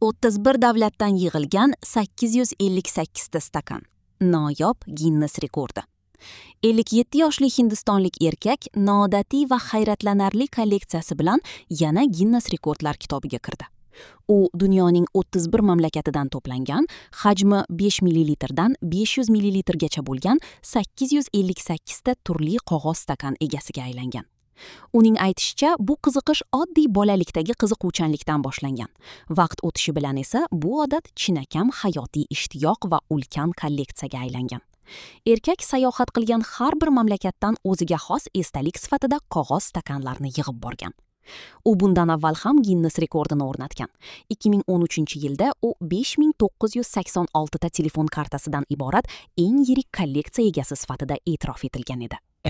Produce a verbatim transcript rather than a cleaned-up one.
O'ttiz bir davlatdan yig'ilgan sakkiz yuz ellik sakkizta stakan. Noyob Ginnes rekordi. Ellik yetti yoshli hindistonlik erkak noodatiy va hayratlanarli kolleksiyasi bilan yana Ginnes rekordlar kitobiga kirdi. U dunyoning o'ttiz bir mamlakatidan to'plangan, hajmi besh millilitrdan besh yuz millilitrgacha bo'lgan sakkiz yuz ellik sakkizta turli qog'oz stakan egasiga aylangan. Uning aytishicha, bu qiziqish oddiy bolalikdagi qiziquvchanlikdan boshlangan. Vaqt o'tishi bilan esa bu odat chinakam hayotiy ishtiyoq va ulkan kolleksiyaga aylangan. Erkak sayohat qilgan har bir mamlakatdan o'ziga xos esdalik sifatida qog'oz stakanlarni yig'ib borgan. U bundan avval ham Ginnes rekordini o'rnatgan. ikki ming o'n uchinchi yilda u besh ming to'qqiz yuz sakson oltita telefon kartasidan iborat eng yirik kolleksiya egasi sifatida e'tirof etilgan edi.